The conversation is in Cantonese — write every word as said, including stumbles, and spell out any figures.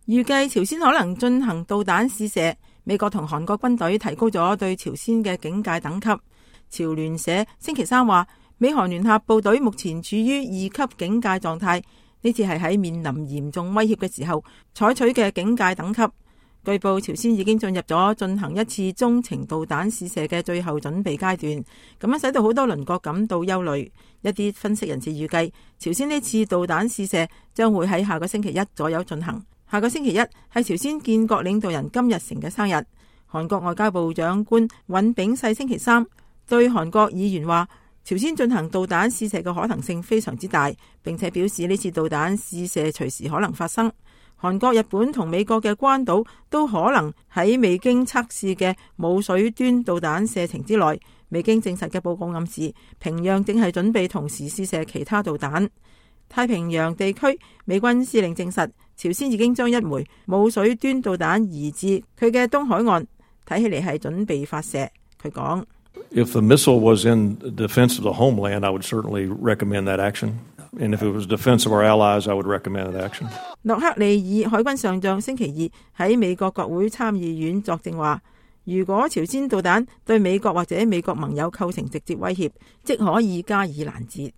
預計朝鮮可能進行導彈試射。美國同韓國軍隊提高咗對朝鮮嘅警戒等級。朝聯社星期三話，美韓聯合部隊目前處於二級警戒狀態，呢次係喺面臨嚴重威脅嘅時候採取嘅警戒等級。據報，朝鮮已經進入咗進行一次中程導彈試射嘅最後準備階段，咁樣使到好多鄰國感到憂慮。一啲分析人士預計，朝鮮呢次導彈試射將會喺下個星期一左右進行。下個星期一係朝鮮建國領導人金日成嘅生日。韓國外交部長官尹炳世星期三對韓國議員話，朝鮮進行導彈試射嘅可能性非常之大，並且表示呢次導彈試射隨時可能發生。韓國、日本同美國嘅關島都可能喺未經測試嘅冇水端導彈射程之內。未經證實嘅報告暗示，平壤正係準備同時試射其他導彈。太平洋地區美軍司令證實，朝鮮已經將一枚冇水端導彈移至佢嘅東海岸，睇起嚟係準備發射。佢講：If the missile was in defense of the homeland, I would certainly recommend that action. And if it was defense of our allies, I would recommend that action. 諾克利爾海軍上將星期二喺美國國會參議院作證話，如果朝鮮導彈對美國或者美國盟友構成直接威脅，即可以加以攔截。